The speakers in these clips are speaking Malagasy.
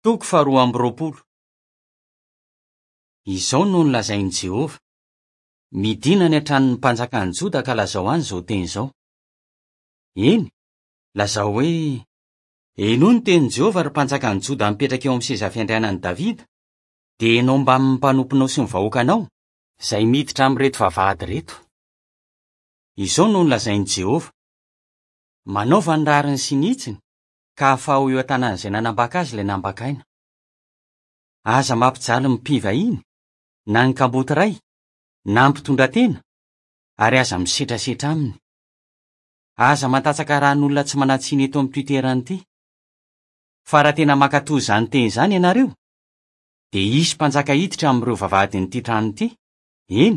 Toko faharoa amby 20. Izao no nolazain'i Jehovah, Midìna any an-tranon'ny mpanjakan'i Joda ka lazao any izao teny izao. Eny, lazao hoe, 'Henoy ny tenin'i Jehovah, ry mpanjakan'i Joda mipetraka eo amin'ny seza fiandrianan'i Davida, dia ianao mbamin'ny mpanomponao sy ny vahoakanao, izay miditra amin'ireto vavahady ireto. Izao no nolazain'i Jehovah, Manaova ny rariny sy ny hitsiny, ka afaho eo an-tanan'izay nanambaka azy ilay nambakaina. Aza mampijaly ny mpivahiny, na ny kamboty ray, na ny mpitondratena, ary aza misetrasetra aminy. Aza mandatsaka ran'olona tsy manan-tsiny eto amin'ity toerana ity. Fa raha tena mankatò izany teny izany ianareo, dia hisy mpanjaka hiditra amin'ireo vavahadin'ity trano ity, eny,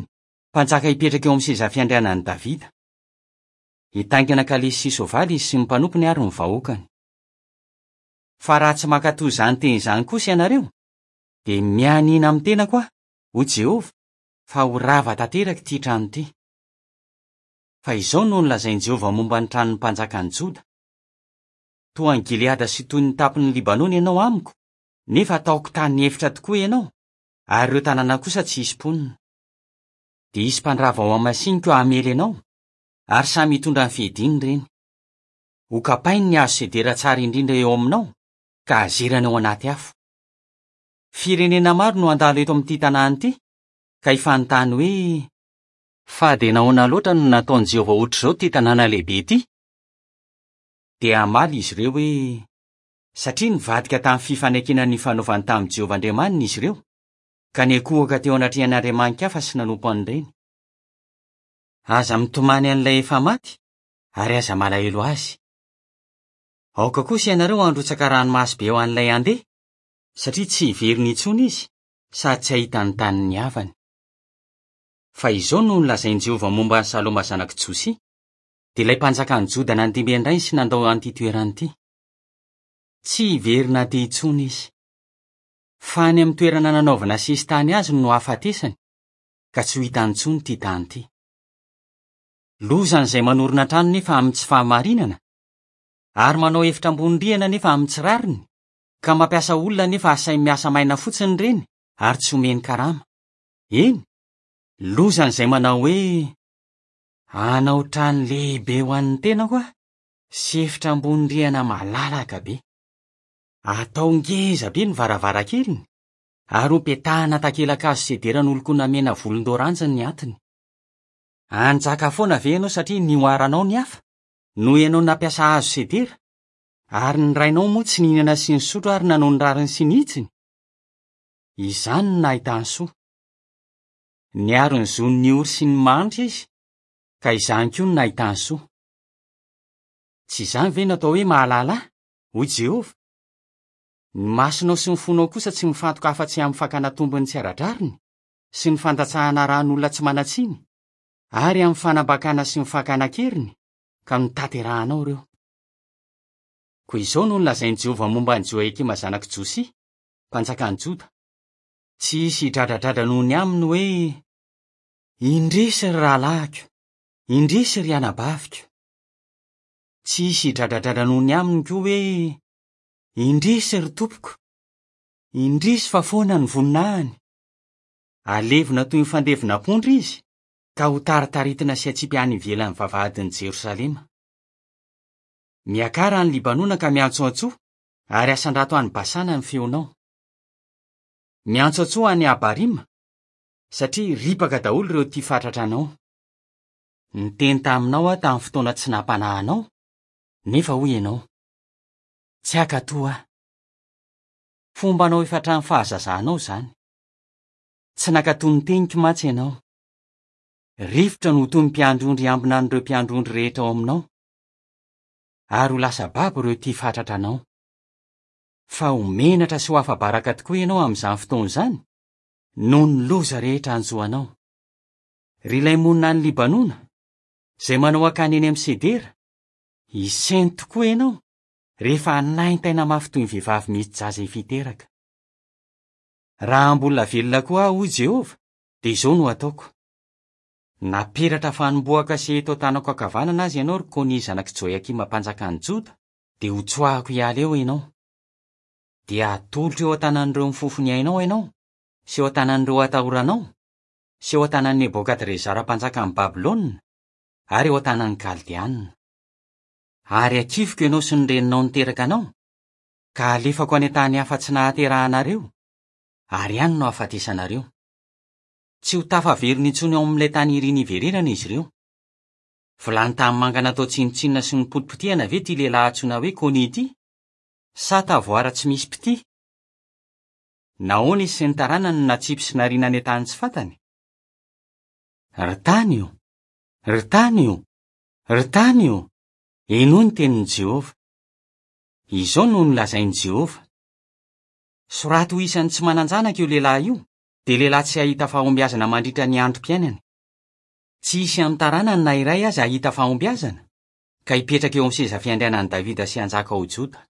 mpanjaka hipetraka eo amin'ny seza fiandrianan'i Davida. Hitaingina kalesy sy soavaly izy sy ny mpanompony ary ny vahoakany. Fa raha tsy mankatò izany teny izany kosa ianareo, dia mianiana amin'ny tenako aho, hoy Jehovah, fa ho rava tanteraka ity trano ity. Fa izao no nolazain'i Jehovah momba ny tranon'ny mpanjakan'i Joda, Toa an'i Gileada sy toy ny tampon'i Libanona ianao amiko, nefa hataoko tany efitra tokoa ianao, ary ireo tanàna kosa tsy hisy mponina. Dia hisy mpandrava ao Hamasiniko hamely anao, ary samy hitondra ny fiadiany ireny. Hokapainy ny hazo sedera tsara indrindra eo aminao, ka hazerany ao anaty afo. Firenena maro no handalo eto amin'ity tanàna ity, ka hifanontany hoe, Fa dia nahoana loatra no nataon'i Jehovah hoatr'izao ity tanàna lehibe ity? Dia hamaly izy ireo hoe, Satria nivadika tamin'ny fifanekena nifanaovany tamin'i Jehovah Andriamaniny izy ireo, ka niankohoka teo anatrehan'ny andriamani-kafa sy nanompo an'ireny. Aza mitomany an'ilay efa maty, ary aza malahelo azy. Aoka kosa ianareo handrotsaka ranomaso be ho an'ilay handeha, satria tsy hiverina intsony izy, sady tsy hahita ny tanin'ny havany. Fa izao no nolazain'i Jehovah momba an'i Saloma zanak'i Josia, dia ilay mpanjakan'i Joda nandimby an-drainy sy nandao an'ity toerana ity, Tsy hiverina aty intsony izy. Fa any amin'ny toerana nanaovana sesitany azy no hahafatesany, ka tsy ho hitany intsony ity tany ity. Lozan'izay manorina trano nefa amin'ny tsy fahamarinana, ary manao efitra ambony rihana nefa amin'ny tsy rariny, ka mampiasa olona nefa asainy miasa maina fotsiny ireny ary tsy omeny karama. Eny, lozan'izay manao hoe, Hanao trano lehibe ho an'ny tenako aho sy efitra ambony rihana malalaka be. Atao ngeza be ny varavarankeliny ary hopetahana takelakazo sedera nolokoina mena volondoranjy ny atiny. Hanjaka foana ve ianao satria nihoaranao ny hafa, noho ianao nampiasa hazo sedera, ary ny rainao moa tsy nihinana sy nisotro ary nanao ny rariny sy ny hitsiny? Izany no nahitany soa. Niaro ny zon'ny ory sy ny mahantra izy, ka izany koa no nahitany soa. Tsy izany ve no atao hoe mahalala ahy? hoy Jehovah. Ny masonao sy ny fonao kosa tsy mifantoka afa-tsy amin'ny fakana tombony tsy ara-drariny sy ny fandatsahana ran'olona tsy manan-tsiny ary amin'ny fanambakana sy ny fakana an-keriny, ka notanterahanao ireo. Koa izao no nolazain'i Jehovah momba an'i Joiakima zanak'i Josia, mpanjakan'i Joda, Tsy hisy hidradradradra noho ny aminy hoe, 'Indrisy, ry rahalahiko! Indrisy, ry anabaviko! Tsy hisy hidradradradra noho ny aminy koa hoe, 'Indrisy, ry tompoko! Indrisy fa foana ny voninahiny! Halevina toy ny fandevon'ampondra izy, ka hotaritaritina sy hatsipy any ivelan'ny vavahadin'i Jerosalema. Miakara any Libanona ka miantsoantsoa, ary asandrato any Basana ny feonao. Miantsoantsoa any Abarima, satria ripaka daholo ireo tia fatratra anao. Niteny taminao aho tamin'ny fotoana tsy nampanahy anao, nefa hoy ianao, Tsy hankatò aho. Fombanao efa hatramin'ny fahazazanao izany. Tsy nankatò ny teniko mantsy ianao. Rivotra no ho toy ny mpiandry ondry hiambina an'ireo mpiandry ondry rehetra ao aminao, ary ho lasa babo ireo tia fatratra anao. Fa ho menatra sy ho afa-baraka tokoa ianao amin'izany fotoana izany, noho ny loza rehetra hanjo anao. Ry ilay monina any Libanona, izay manao akany eny amin'ny sedera, hisento tokoa ianao rehefa hanaintaina mafy toy ny vehivavy misy jaza efa hiteraka. Raha mbola velona koa aho, hoy Jehovah, dia izao no hataoko, Naperatra fanombohaka sy eto an-tanako ankavanana aza ianao, ry Konia zanak'i Joiakima mpanjakan'i Joda, dia hotsoahako hiala eo ianao. Dia hatolotro eo an-tanan'ireo mifofo ny ainao ianao, sy eo an-tanan'ireo atahoranao, sy eo an-tanan'i Nebokadrezara mpanjakan'i Babylona, ary eo an-tanan'ny Kaldeana. Ary hakifiko ianao sy ny reninao niteraka anao, ka halefako any an-tany hafa tsy nahaterahanareo, ary any no hahafatesanareo. Tsy ho tafaverina intsony ao amin'ilay tany iriny hiverenana izy ireo. Vilany tanimanga natao tsinontsinona sy nopotipotehana ve ity lehilahy antsoina hoe Konia ity? Sa tavoara tsy misy mpitia? Nahoana izy sy ny taranany no natsipy sy nariana any an-tany tsy fantany? Ry tany ô! Ry tany ô! Ry tany ô! Henoy ny tenin'i Jehovah. Izao no nolazain'i Jehovah, Soraty ho isan'ny tsy manan-janaka io lehilahy io, dia lehilahy tsy hahita fahombiazana mandritra ny androm-piainany. Tsy hisy amin'ny taranany na iray aza hahita fahombiazana, ka hipetraka eo amin'ny seza fiandrianan'i Davida sy hanjaka ao Joda.